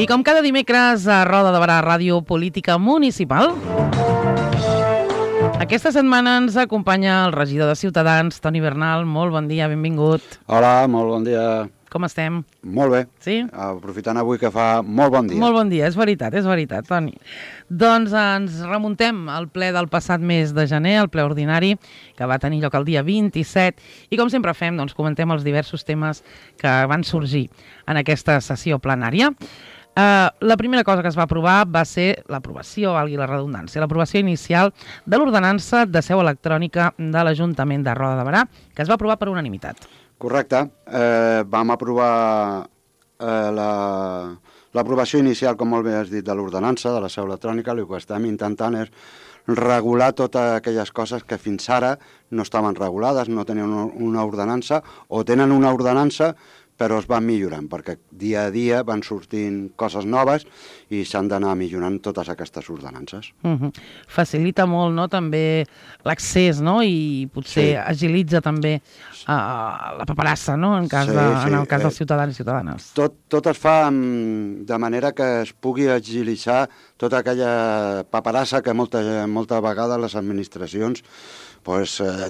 I com cada dimecres a Roda de Barà, Ràdio Política Municipal, aquesta setmana ens acompanya el regidor de Ciutadans, Toni Bernal. Molt bon dia, benvingut. Hola, molt bon dia. Com estem? Molt bé. Sí? Aprofitant avui que fa molt bon dia. Molt bon dia, és veritat, Toni. Doncs ens remuntem al ple del passat mes de gener, el ple ordinari, que va tenir lloc el dia 27, i com sempre fem, doncs comentem els diversos temes que van sorgir en aquesta sessió plenària. La primera cosa que es va aprovar va ser l'aprovació, valgui la redundància, l'aprovació inicial de l'ordenança de seu electrònica de l'Ajuntament de Roda de Barà, que es va aprovar per unanimitat. Correcte. Vam aprovar l'aprovació inicial, com molt bé has dit, de l'ordenança de la seu electrònica. El que estem intentant és regular totes aquelles coses que fins ara no estaven regulades, no tenien una ordenança, o tenen una ordenança però es van millorant, perquè dia a dia van sortint coses noves i s'han d'anar millorant totes aquestes ordenances. Facilita molt, no?, també l'accés, no?, i potser agilitza també la paperassa, no?, en el cas dels ciutadans i ciutadanes. Tot es fa de manera que es pugui agilitzar tota aquella paperassa que molta vegada les administracions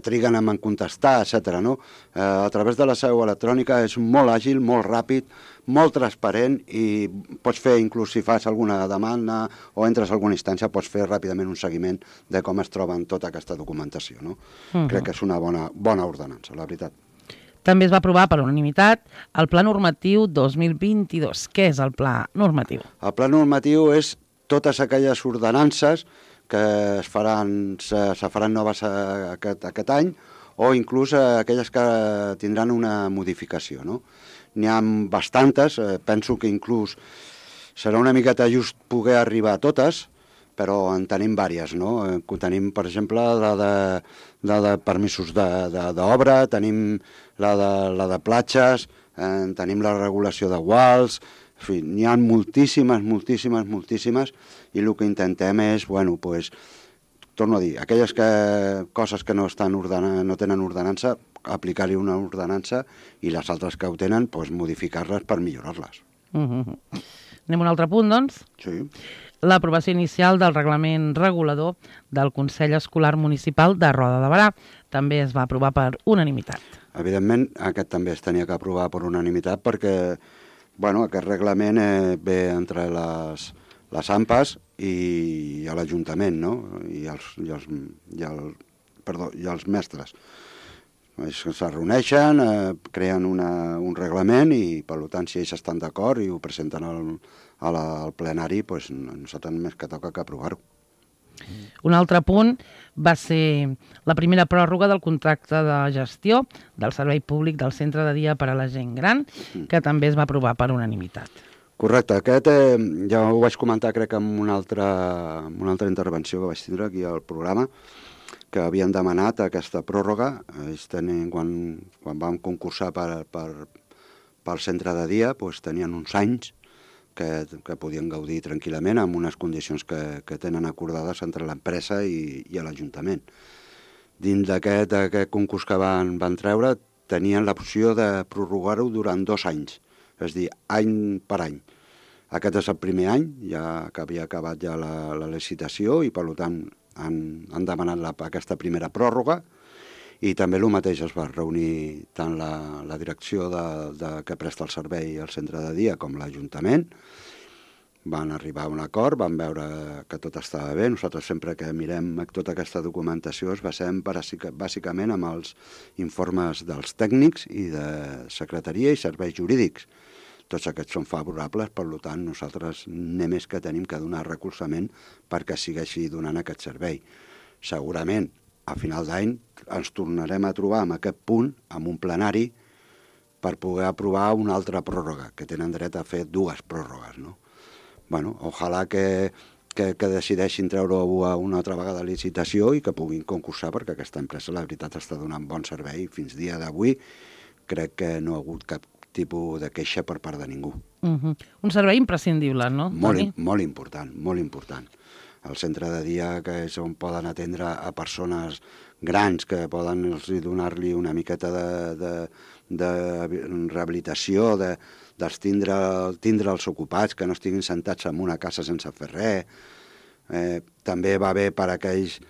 triguen en contestar, etc. No? A través de la seu electrònica és molt àgil, molt ràpid, molt transparent i pots fer, inclús si fas alguna demanda o entres a alguna instància, pots fer ràpidament un seguiment de com es troba tota aquesta documentació. No? Crec que és una bona ordenança, la veritat. També es va aprovar per unanimitat el Pla Normatiu 2022. Què és el Pla Normatiu? El Pla Normatiu és totes aquelles ordenances que se faran noves aquest any, o inclús aquelles que tindran una modificació. No? N'hi ha bastantes, penso que inclús serà una miqueta just poder arribar a totes, però en tenim diverses. No? Tenim, per exemple, la de permisos d'obra, tenim la de platges, tenim la regulació de guals. En fi, n'hi ha moltíssimes, i el que intentem és, torno a dir, aquelles coses que no tenen ordenança, aplicar-hi una ordenança, i les altres que ho tenen, modificar-les per millorar-les. Anem a un altre punt, doncs? Sí. L'aprovació inicial del reglament regulador del Consell Escolar Municipal de Roda de Barà. També es va aprovar per unanimitat. Evidentment, aquest també es tenia que aprovar per unanimitat perquè aquest reglament ve entre les AMPAs i l'Ajuntament, no? I els mestres. Se reuneixen, creen un reglament i, per tant, si ells estan d'acord i ho presenten al plenari, nosaltres només que toca que aprovar-ho. Un altre punt va ser la primera pròrroga del contracte de gestió del servei públic del centre de dia per a la gent gran, que també es va aprovar per unanimitat. Correcte. Aquest ja ho vaig comentar, crec, en una altra intervenció que vaig tindre aquí al programa, que havien demanat aquesta pròrroga. Quan vam concursar pel centre de dia, tenien uns anys que podien gaudir tranquil·lament amb unes condicions que tenen acordades entre l'empresa i l'Ajuntament. Dins d'aquest concurs que van treure, tenien l'opció de prorrogar-ho durant 2 anys, és a dir, any per any. Aquest és el primer any, ja que havia acabat ja la licitació, i per tant han demanat aquesta primera pròrroga, i també el mateix es va reunir tant la direcció que presta el servei al centre de dia com l'Ajuntament. Van arribar a un acord, van veure que tot estava bé. Nosaltres sempre que mirem tota aquesta documentació es basem bàsicament amb els informes dels tècnics i de secretaria i serveis jurídics. Tots aquests són favorables, per tant nosaltres només que tenim que donar recolzament perquè segueixi donant aquest servei. Segurament a final d'any ens tornarem a trobar en aquest punt, amb un plenari, per poder aprovar una altra pròrroga, que tenen dret a fer 2 pròrrogues, no? Ojalà que decideixin treure-ho una altra vegada a licitació i que puguin concursar, perquè aquesta empresa, la veritat, està donant bon servei. Fins dia d'avui crec que no ha hagut cap tipus de queixa per part de ningú. Un servei imprescindible, no? Molt important, molt important. el centre de dia, que és on poden atendre a persones grans, que poden donar-li una miqueta de rehabilitació, tindre'ls ocupats, que no estiguin sentats en una casa sense fer res. També va bé per aquelles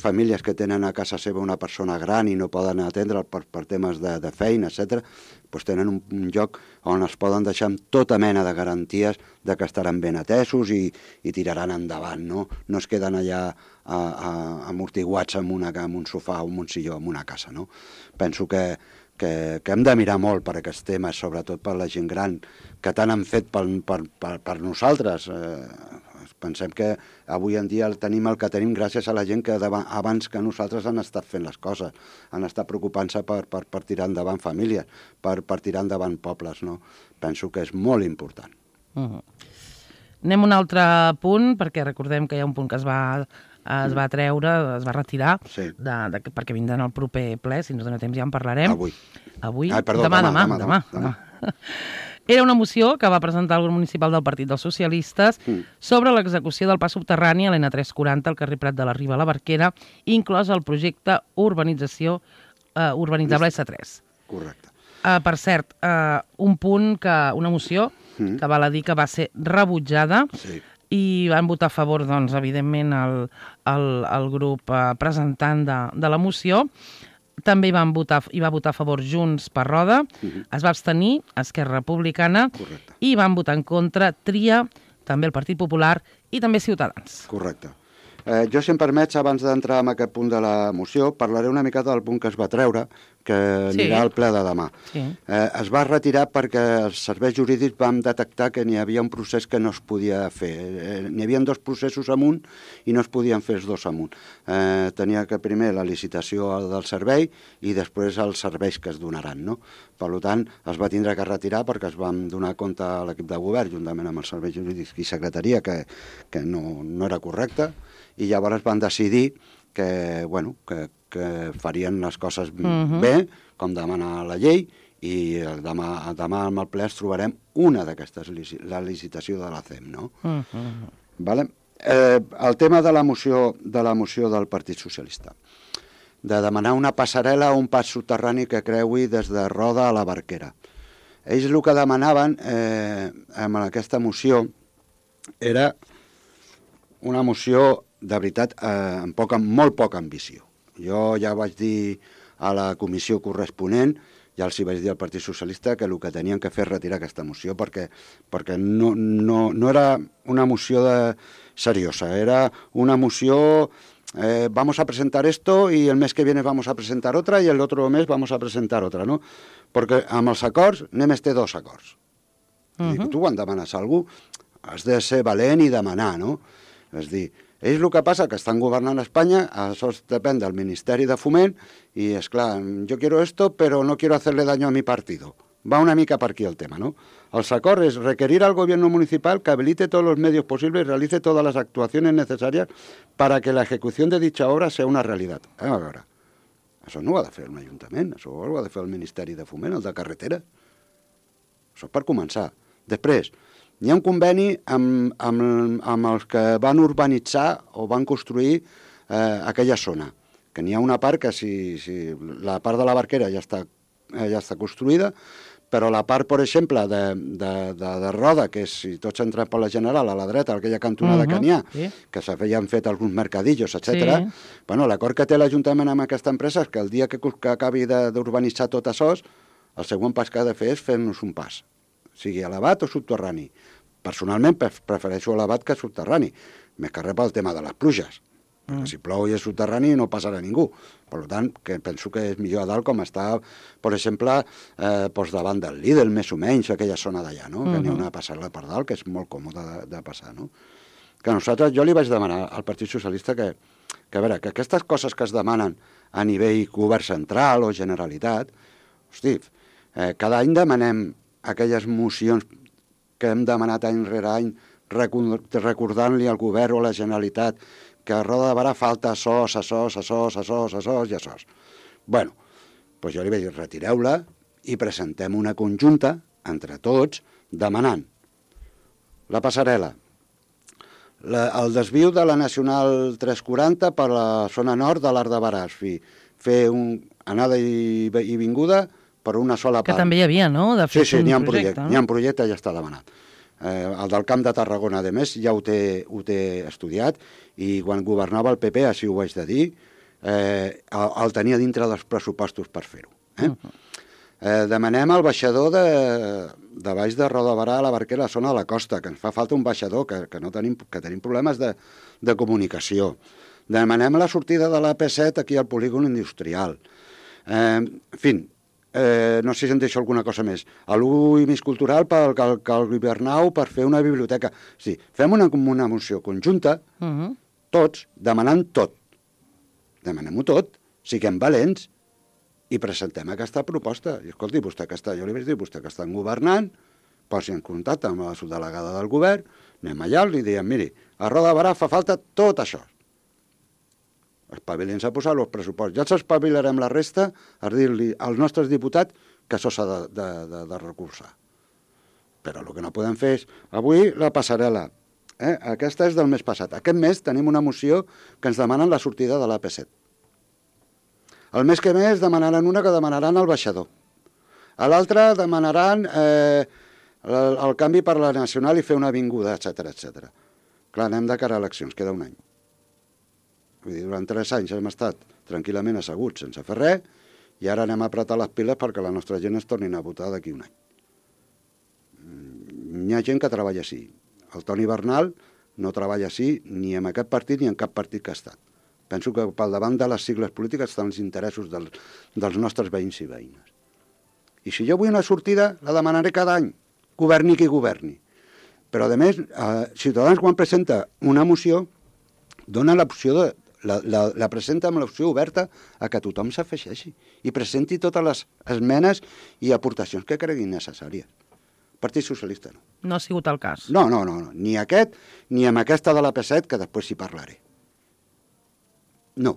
famílies que tenen a casa seva una persona gran i no poden atendre'l per temes de feina, etc., doncs tenen un lloc on es poden deixar amb tota mena de garanties de que estaran ben atesos i tiraran endavant, no? No es queden allà amortiguats en un sofà o en un silló, en una casa, no? Penso que hem de mirar molt per aquests temes, sobretot per la gent gran, que tant han fet per nosaltres. Pensem que avui en dia tenim el que tenim gràcies a la gent que abans que nosaltres han estat fent les coses, han estat preocupant-se per tirar endavant famílies, per tirar endavant pobles, no? Penso que és molt important. Anem a un altre punt, perquè recordem que hi ha un punt que es va treure, es va retirar, sí. perquè vindran al proper ple, si ens dona temps ja en parlarem. Avui? Demà. Era una moció que va presentar el grup municipal del Partit dels Socialistes sobre l'execució del pas subterrani a l'N340 al carrer Prat de la Riba a la Barquera, inclòs el projecte urbanitzable S3. Correcte. Per cert, una moció que val a dir que va ser rebutjada, sí. I van votar a favor, doncs, evidentment, el grup presentant de la moció. També va votar a favor Junts per Roda, es va abstenir Esquerra Republicana. Correcte. I van votar en contra Tria, també el Partit Popular i també Ciutadans. Correcte. Jo, si em permets, abans d'entrar en aquest punt de la moció, parlaré una mica del punt que es va treure, que anirà al ple de demà. Sí. Es va retirar perquè els serveis jurídics vam detectar que n'hi havia un procés que no es podia fer. N'hi havia 2 processos amunt i no es podien fer els 2 amunt. Tenia que primer la licitació del servei i després els serveis que es donaran, no? Per tant, es va tindre que retirar perquè es vam donar compte a l'equip de govern, juntament amb els serveis jurídics i secretaria, que no era correcte, i llavors van decidir que farien les coses bé, com demana la llei, i demà amb el ple trobarem una d'aquestes, la licitació de la CEM, no? Vale? El tema de la moció del Partit Socialista, de demanar una passarel·la o un pas subterrani que creui des de Roda a la Barquera. Ells el que demanaven amb aquesta moció era una moció, de veritat, amb molt poca ambició. Jo ja vaig dir a la comissió corresponent, ja els hi vaig dir al Partit Socialista que el que tenien que fer és retirar aquesta moció perquè no era una moció seriosa, era una moció vamos a presentar esto y el mes que viene vamos a presentar otra y el otro mes vamos a presentar otra, no? Perquè amb els acords només té 2 acords. Tu quan demanes a algú has de ser valent i demanar, no? És dir, ells el que passa que estan governant a Espanya, això depèn del Ministeri de Foment, i és clar, yo quiero esto, pero no quiero hacerle daño a mi partido. Va una mica per aquí el tema, ¿no? El acord es requerir al gobierno municipal que habilite todos los medios posibles y realice todas las actuaciones necesarias para que la ejecución de dicha obra sea una realidad. A veure, això no ho ha de fer un ajuntament, això ho ha de fer el Ministeri de Foment, el de Carretera. Això és per començar. Després, hi ha un conveni amb els que van urbanitzar o van construir aquella zona, que n'hi ha una part que si la part de la Barquera ja està construïda, però la part, per exemple, de Roda, que és, si tots entren per la General, a la dreta, aquella cantonada que n'hi ha, que s'havien fet alguns mercadillos, etc. Bueno, l'acord que té l'Ajuntament amb aquesta empresa és que el dia que acabi d'urbanitzar tot això, el següent pas que ha de fer és fer-nos un pas, sigui elevat o subterrani. Personalment prefereixo elevat que subterrani, més que res pel tema de les pluges, perquè si plou i és subterrani no passarà ningú. Per tant, que penso que és millor a dalt com està, per exemple, davant del Lidl, més o menys, aquella zona d'allà, no? Que n'hi ha una passarel·la per dalt, que és molt còmode de passar, no? Que nosaltres, jo li vaig demanar al Partit Socialista que a veure, que aquestes coses que es demanen a nivell govern central o Generalitat, hosti, cada any demanem aquelles mocions que hem demanat any rere any, recordant-li al govern o a la Generalitat que a Roda de Barà falta açòs i açòs. Bueno, doncs jo li vaig dir, retireu-la i presentem una conjunta entre tots demanant la passarel·la, el desviu de la Nacional 340 per la zona nord de l'Arc de Baràs, fer anada i vinguda per una sola part. Que també hi havia, no? De fet, sí, n'hi ha un projecte, projecte, n'hi ha un projecte, ja està demanat. El del Camp de Tarragona, a més, ja ho té estudiat, i quan governava el PP, així ho vaig de dir, el tenia dintre dels pressupostos per fer-ho. Demanem al baixador de baix de Roda de Barà a la Barquera, a la zona de la costa, que ens fa falta un baixador, que tenim problemes de comunicació. Demanem la sortida de l'AP7 aquí al polígon industrial. En fi, no sé si em deixo alguna cosa més. L'ús més cultural pel Hivernau per fer una biblioteca. Sí, fem una moció conjunta, tots, demanant tot. Demanem-ho tot, siguem valents i presentem aquesta proposta. I escolti, jo li vaig dir, vostè que estan governant, posi en contacte amb la subdelegada del govern, anem allà i li diem, miri, a Roda de Barà fa falta tot això. Espavilin-se a posar els pressupostos. Ja s'espavilarem la resta a dir-li als nostres diputats que això s'ha de recursar. Però el que no podem fer és... Avui la passarel·la. Aquesta és del mes passat. Aquest mes tenim una moció que ens demanen la sortida de l'AP7. El mes que ve demanaran una que demanaran el baixador. A l'altre demanaran el canvi per la Nacional i fer una avinguda, etc. Clar, anem de cara a eleccions, queda un any. Vull dir, durant 3 anys hem estat tranquil·lament asseguts sense fer res i ara anem a apretar les piles perquè la nostra gent es tornin a votar d'aquí un any. Hi ha gent que treballa així. El Toni Bernal no treballa així ni en aquest partit ni en cap partit que ha estat. Penso que pel davant de les sigles polítiques estan els interessos dels nostres veïns i veïnes. I si jo vull una sortida, la demanaré cada any, governi qui governi. Però, a més, Ciutadans, quan presenta una moció, dona l'opció la presenta amb l'opció oberta a que tothom s'afegeixi i presenti totes les esmenes i aportacions que creguin necessàries. Partit Socialista no. No ha sigut el cas. No, ni aquest, ni amb aquesta de l'AP7, que després hi parlaré. No.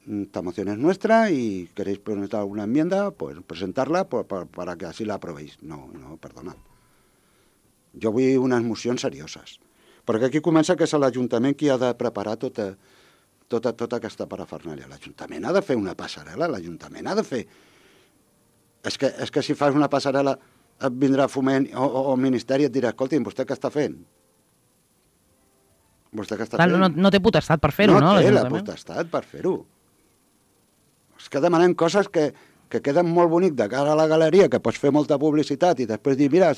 Esta moción es nuestra y queréis presentar alguna enmienda, pues presentarla para que así la aprobéis. No, perdona. Jo vull unes mocions serioses. Perquè aquí comença que és l'Ajuntament qui ha de preparar tota aquesta parafernàlia. L'Ajuntament ha de fer una passarel·la, l'Ajuntament ha de fer... És que si fas una passarel·la et vindrà Foment o el Ministeri i et dirà, escolti'm, vostè què està fent? Vostè què està fent? No té potestat per fer-ho, no? No té la potestat per fer-ho. És que demanem coses que queden molt bonic de cara a la galeria, que pots fer molta publicitat i després dir, mira,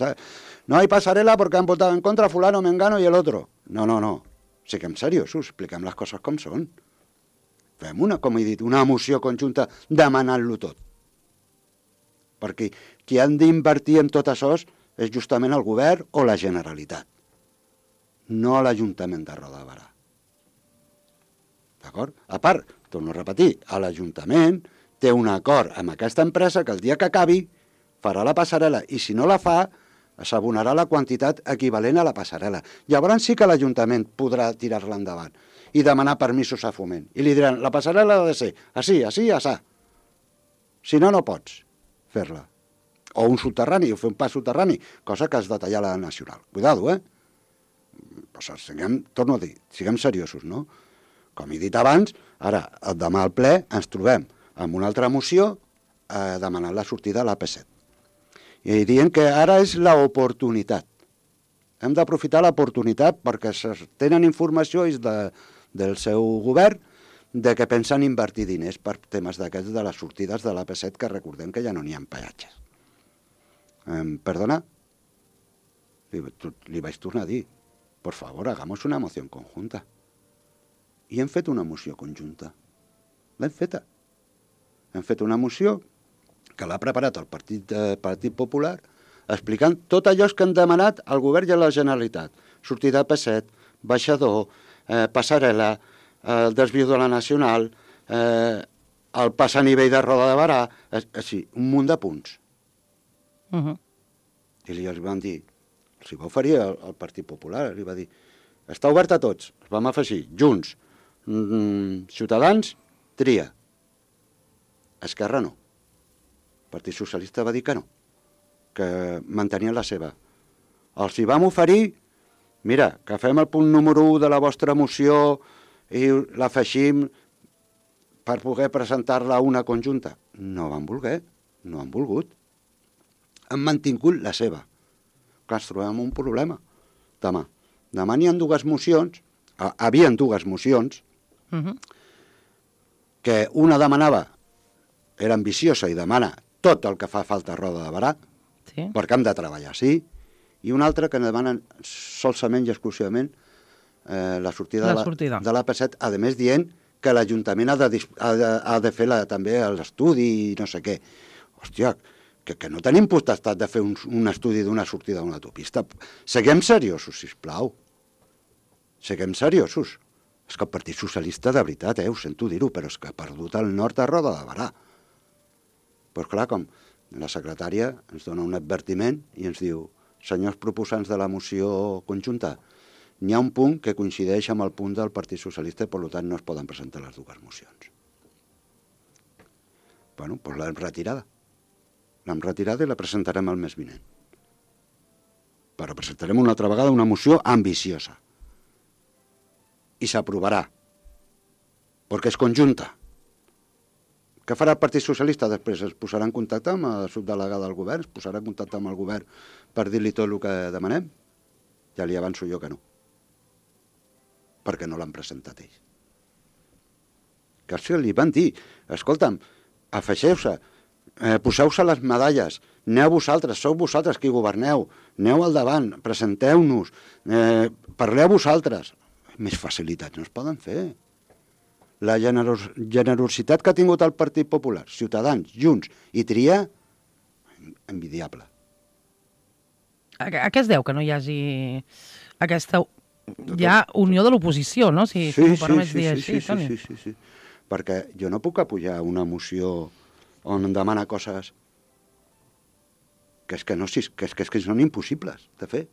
no hay pasarela porque han votado en contra fulano, mengano y el otro. No. Siguem seriosos, expliquem les coses com són. Fem com he dit, una moció conjunta demanant-lo tot. Perquè qui han d'invertir en tot això és justament el govern o la Generalitat, no l'Ajuntament de Roda de Barà. D'acord? A part, torno a repetir, l'Ajuntament té un acord amb aquesta empresa que el dia que acabi farà la passarel·la i si no la fa s'abonarà la quantitat equivalent a la passarel·la. Llavors sí que l'Ajuntament podrà tirar-la endavant i demanar permisos a Foment. I li diran, la passarel·la ha de ser així, assà. Si no, no pots fer-la. O un soterrani, o fer un pas soterrani, cosa que has de tallar la Nacional. Cuidado, torno a dir, siguem seriosos, no? Com he dit abans, ara, demà al ple, ens trobem amb una altra moció demanant la sortida de l'AP7. I dient que ara és l'oportunitat. Hem d'aprofitar l'oportunitat perquè tenen informació del seu govern de que pensen invertir diners per temes d'aquests de les sortides de l'AP7, que recordem que ja no n'hi ha peatges. Perdona? Li vaig tornar a dir, por favor, hagamos una moción conjunta. I hem fet una moció conjunta. L'hem feta. Hem fet una moció que l'ha preparat el Partit Popular explicant tot allò que han demanat al govern i a la Generalitat. Sortida P7, baixador, passarel·la, el desviu de la Nacional, el pas a nivell de Roda de Barà, així, un munt de punts. I li van dir, els va oferir el Partit Popular, li va dir, està obert a tots, els vam afegir, Junts, Ciutadans, tria. Esquerra no. El Partit Socialista va dir que no, que mantenien la seva. Els hi vam oferir mira, que fem el punt número 1 de la vostra moció i l'afegim per poder presentar-la a una conjunta. No van voler, no han volgut. Han mantingut la seva. Que ens trobem un problema demà. Demà n'hi ha dues mocions, havien dues mocions, que una demanava, era ambiciosa i demana tot el que fa falta a Roda de Berà, perquè hem de treballar, sí, i una altra que demanen solament i exclusivament la sortida de l'AP7, a més dient que l'Ajuntament ha de fer també l'estudi i no sé què. Hòstia, que no tenim potestat de fer un estudi d'una sortida d'una autopista. Seguem seriosos, sisplau. Seguem seriosos. És que el Partit Socialista, de veritat, ho sento dir-ho, però és que ha perdut el nord a Roda de Berà. Però clar, com la secretària ens dona un advertiment i ens diu: senyors proposants de la moció conjunta, n'hi ha un punt que coincideix amb el punt del Partit Socialista i per tant no es poden presentar les dues mocions. Bueno, doncs l'hem retirada. L'hem retirada i la presentarem el mes vinent. Però presentarem una altra vegada una moció ambiciosa. I s'aprovarà. Perquè és conjunta. Què farà el Partit Socialista després? Es posarà en contacte amb la subdelegada del govern? Es posarà en contacte amb el govern per dir-li tot el que demanem? Ja li avanço jo que no. Perquè no l'han presentat ells. Que li van dir: escolta'm, afegeu-se, poseu-se les medalles, aneu vosaltres, sou vosaltres qui governeu, aneu al davant, presenteu-nos, parleu vosaltres. Més facilitats no es poden fer. La generositat que ha tingut el Partit Popular, Ciutadans, Junts i Tria, envidiable. A què es deu que no hi hagi aquesta unió de l'oposició, no? Si m'ho permets dir així, Toni. Sí. Perquè jo no puc apujar una moció on em demana coses que són impossibles de fer.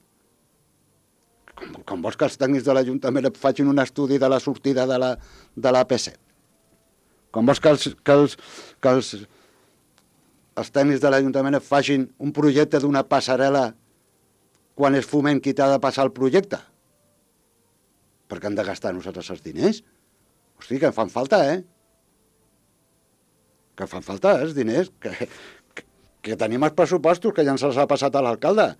Com vols que els tècnics de l'Ajuntament facin un estudi de la sortida de l'AP7? Com vols que els tècnics de l'Ajuntament facin un projecte d'una passarel·la quan és Foment qui t'ha de passar el projecte? Perquè hem de gastar nosaltres els diners? Hosti, que fan falta, Que fan falta els diners, que tenim els pressupostos, que ja ens els ha passat a l'alcalde,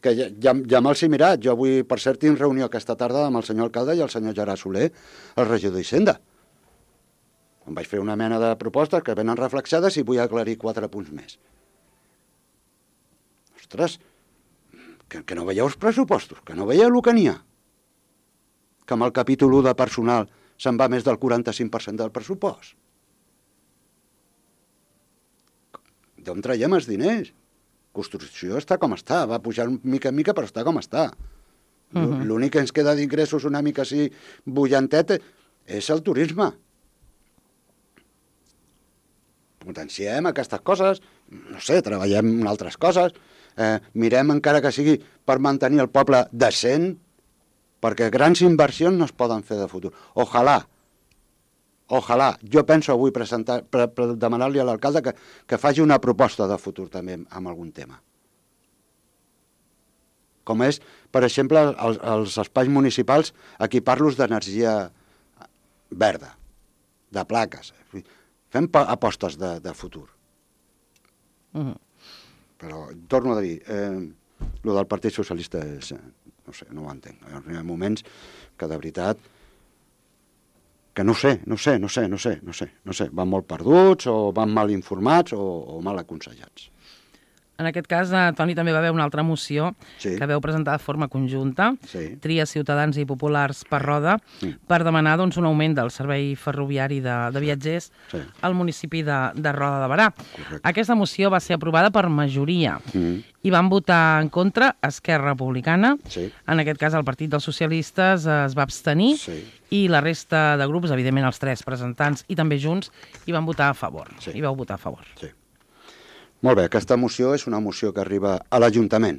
que ja me'ls he mirat. Jo avui, per cert, tinc reunió aquesta tarda amb el senyor alcalde i el senyor Gerard Soler, el regidor d'Hisenda. Em vaig fer una mena de propostes que venen reflexades i vull aclarir 4 punts més. Ostres, que no veieu els pressupostos, que no veieu el que n'hi ha. Que amb el capítol 1 de personal se'n va més del 45% del pressupost. D'on traiem els diners? Construcció està com està, va pujar mica en mica, però està com està. L'únic que ens queda d'ingressos una mica així bullantet és el turisme. Potenciem aquestes coses, no sé, treballem en altres coses, mirem encara que sigui per mantenir el poble decent, perquè grans inversions no es poden fer de futur. Ojalà, jo penso avui demanar-li a l'alcalde que faci una proposta de futur també amb algun tema. Com és, per exemple, els espais municipals, equipar-los d'energia verda, de plaques. Fem apostes de futur. Però, torno a dir, el del Partit Socialista és, no sé, no ho entenc. Hi ha moments que, de veritat, que no sé, van molt perduts o van mal informats o mal aconsellats. En aquest cas, Toni, també va haver una altra moció que veu presentar de forma conjunta, Tria, Ciutadans i Populars per Roda, per demanar un augment del servei ferroviari de viatgers al municipi de Roda de Berà. Aquesta moció va ser aprovada per majoria i van votar en contra Esquerra Republicana, en aquest cas el Partit dels Socialistes es va abstenir i la resta de grups, evidentment els 3 presentants i també Junts, hi van votar a favor. Hi vau votar a favor. Sí. Molt bé, aquesta moció és una moció que arriba a l'Ajuntament.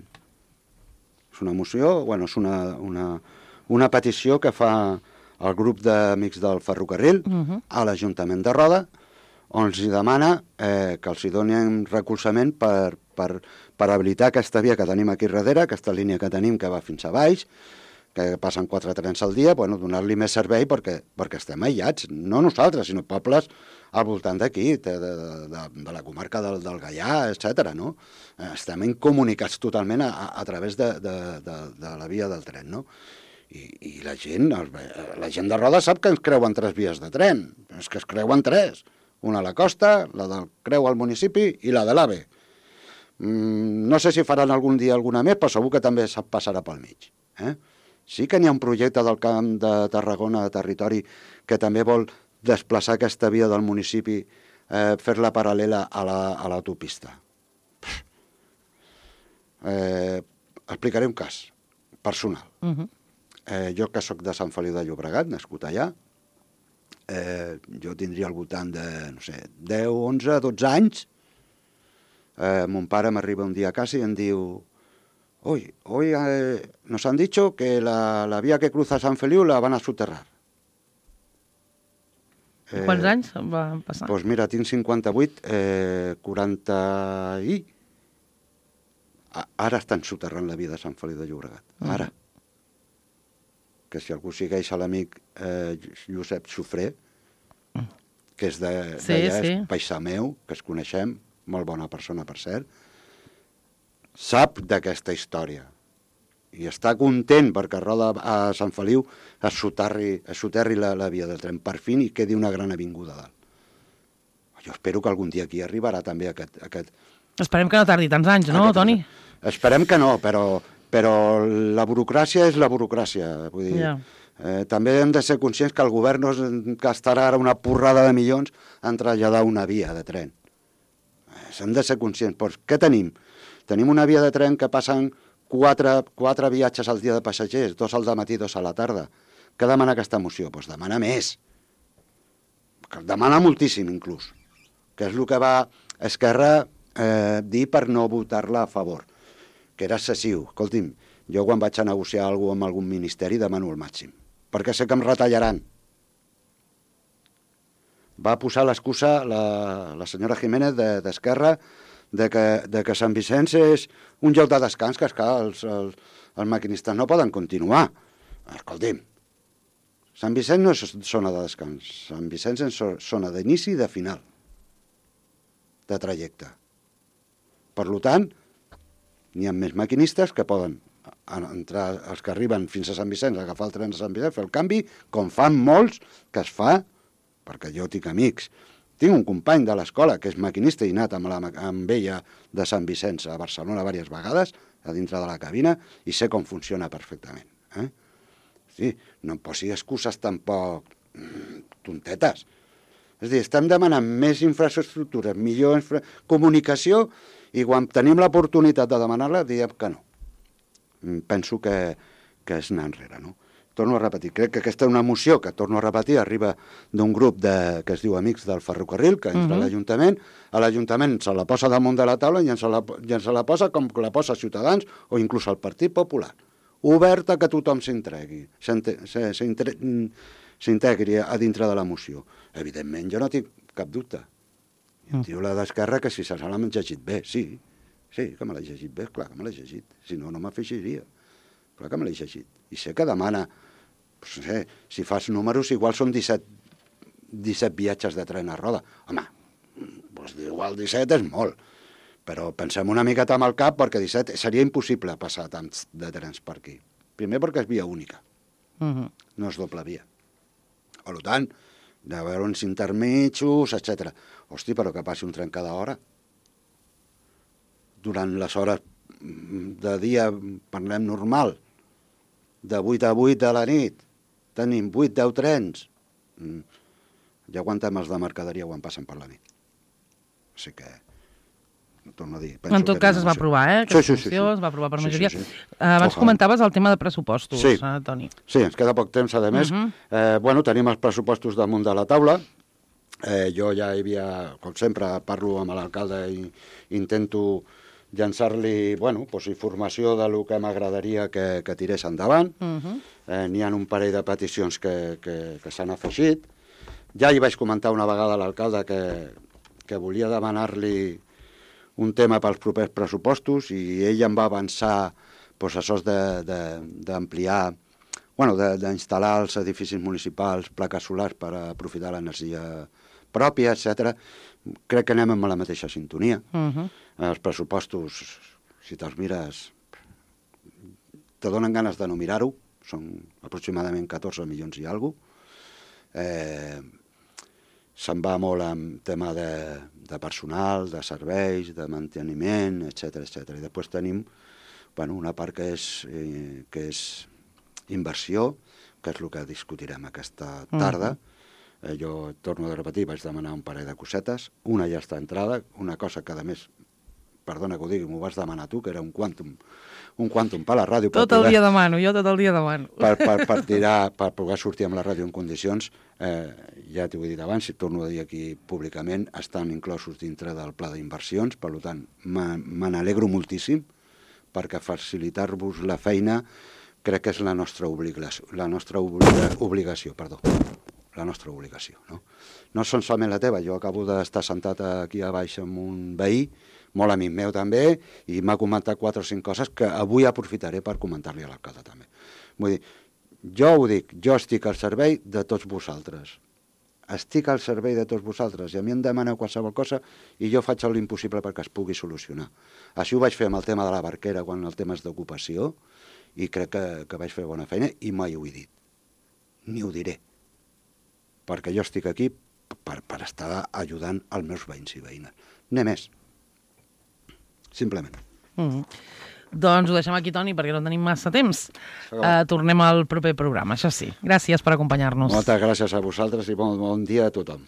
És una moció, és una petició que fa el grup d'Amics del Ferrocarril a l'Ajuntament de Roda, on els demana que els donin recolzament per habilitar aquesta via que tenim aquí darrere, aquesta línia que tenim que va fins a baix, que passen 4 trens al dia, bueno, donar-li més servei perquè estem aïllats, no nosaltres, sinó pobles al voltant d'aquí, de la comarca del Gaià, etc. No? Estem incomunicats totalment a través de la via del tren, no? I la gent de Roda sap que ens creuen 3 vies de tren, és que es creuen 3, una a la costa, la del Creu al municipi i la de l'AVE. No sé si faran algun dia alguna més, però segur que també passarà pel mig. Sí que n'hi ha un projecte del Camp de Tarragona, de territori, que també vol desplaçar aquesta via del municipi, fer-la paral·lela a l'autopista. Explicaré un cas personal. Jo que sóc de Sant Feliu de Llobregat, nascut allà, jo tindria al voltant de, no sé, 10, 11, 12 anys. Mon pare m'arriba un dia a casa y em diu: hoy nos han dicho que la vía que cruza San Feliu la van a soterrar. Quants anys va passar? Doncs mira, tinc 58, 40 i... Ara estan soterrant la via de Sant Feliu de Llobregat, ara. Que si algú segueix a l'amic Josep Xufré, que és d'allà, és paisà meu, que es coneixem, molt bona persona, per cert, sap d'aquesta història i està content perquè a Sant Feliu es soterri la via del tren per fi i quedi una gran avinguda dalt. Jo espero que algun dia aquí arribarà també aquest... Esperem que no tardi tants anys, no, Toni? Esperem que no, però la burocràcia és la burocràcia. Vull dir, també hem de ser conscients que el govern no gastarà ara una porrada de milions en traslladar una via de tren. Hem de ser conscients. Però què tenim? Tenim una via de tren que passen 4 viatges al dia de passatgers, 2 al matí, 2 a la tarda. Què demana aquesta moció? Doncs demana més. Demana moltíssim, inclús. Que és el que va Esquerra dir per no votar-la a favor, que era excessiu. Escolti'm, jo quan vaig a negociar alguna cosa amb algun ministeri demano el màxim, perquè sé que em retallaran. Va posar l'excusa la senyora Jiménez d'Esquerra de que Sant Vicenç és un lloc de descans, que esclar, els maquinistes no poden continuar. Escolti'm, Sant Vicenç no és zona de descans, Sant Vicenç és zona d'inici i de final de trajecte. Per tant, n'hi ha més maquinistes que poden entrar, els que arriben fins a Sant Vicenç, agafar el tren a Sant Vicenç, fer el canvi, com fan molts, que es fa, perquè jo tinc amics. Tinc un company de l'escola que és maquinista i anat amb ella de Sant Vicenç a Barcelona diverses vegades, a dintre de la cabina, i sé com funciona perfectament. Sí, no em posi excuses tampoc tontetes. És a dir, estem demanant més infraestructures, millor comunicació, i quan tenim l'oportunitat de demanar-la, diem que no. Penso que és anar enrere, no? Torno a repetir, crec que aquesta és una moció que, torno a repetir, arriba d'un grup que es diu Amics del Ferrocarril, que entra a l'Ajuntament se la posa damunt de la taula i ens se la posa com la posa Ciutadans o inclús el Partit Popular. Oberta que tothom s'integri a dintre de la moció. Evidentment, jo no tinc cap dubte. Em diu la d'Esquerra que si se l'han llegit bé. Sí, que me l'he llegit bé, clar que me l'he llegit. Si no, no m'afegiria. Clar que me l'he llegit. I sé que demana, no sé, si fas números, igual són 17 viatges de tren a Roda. Home, doncs igual 17 és molt, però pensem una miqueta amb el cap, perquè 17 seria impossible passar tants de trens per aquí. Primer perquè és via única, no és doble via. Per tant, de veure uns intermitjos, etc. Hosti, però que passi un tren cada hora. Durant les hores de dia, parlem normal, de 8 a 8 de la nit, tenim 8-10 trens. Ja aguantem els de mercaderia quan passen per la nit. O sigui que, torno a dir... En tot cas es va aprovar, aquesta moció, es va aprovar per majoria. Abans comentaves el tema de pressupostos, Toni. Sí, ens queda poc temps, a més. Bueno, tenim els pressupostos damunt de la taula. Jo ja hi havia, com sempre, parlo amb l'alcalde i intento llançar-li, bueno, informació del que m'agradaria que tirés endavant. N'hi ha un parell de peticions que s'han afegit. Ja hi vaig comentar una vegada a l'alcalde que volia demanar-li un tema pels propers pressupostos i ell em va avançar això d'ampliar bueno, d'instal·lar als edificis municipals plaques solars per aprofitar l'energia pròpia, etc. Crec que anem amb la mateixa sintonia. Els pressupostos, si te'ls mires, te donen ganes de no mirar-ho, són aproximadament 14 milions i alguna cosa. Se'n va molt amb tema de personal, de serveis, de manteniment, etc. I després tenim una part que és inversió, que és el que discutirem aquesta tarda. Jo torno a repetir, vaig demanar un parell de cosetes, una ja està entrada, una cosa que a més, perdona que ho digui, m'ho vas demanar tu, que era un quàntum per la ràdio. Tot el dia demano, jo tot el dia demano. Per tirar, per poder sortir amb la ràdio en condicions, ja t'ho he dit abans, si torno a dir aquí públicament, estan inclosos dintre del pla d'inversions, per tant, me n'alegro moltíssim, perquè facilitar-vos la feina crec que és la nostra obligació, no són solament la teva, jo acabo d'estar sentat aquí a baix amb un veí, molt amic meu també, i m'ha comentat 4 o 5 coses que avui aprofitaré per comentar-li a l'alcalde també. Vull dir, jo ho dic, jo estic al servei de tots vosaltres. Estic al servei de tots vosaltres i a mi em demaneu qualsevol cosa i jo faig l'impossible perquè es pugui solucionar. Així ho vaig fer amb el tema de la barquera quan el tema és d'ocupació i crec que vaig fer bona feina i mai ho he dit, ni ho diré, perquè jo estic aquí per estar ajudant els meus veïns i veïnes. Ni més. Simplement. Doncs ho deixem aquí, Toni, perquè no tenim massa temps. Tornem al proper programa, això sí. Gràcies per acompanyar-nos. Moltes gràcies a vosaltres i bon dia a tothom.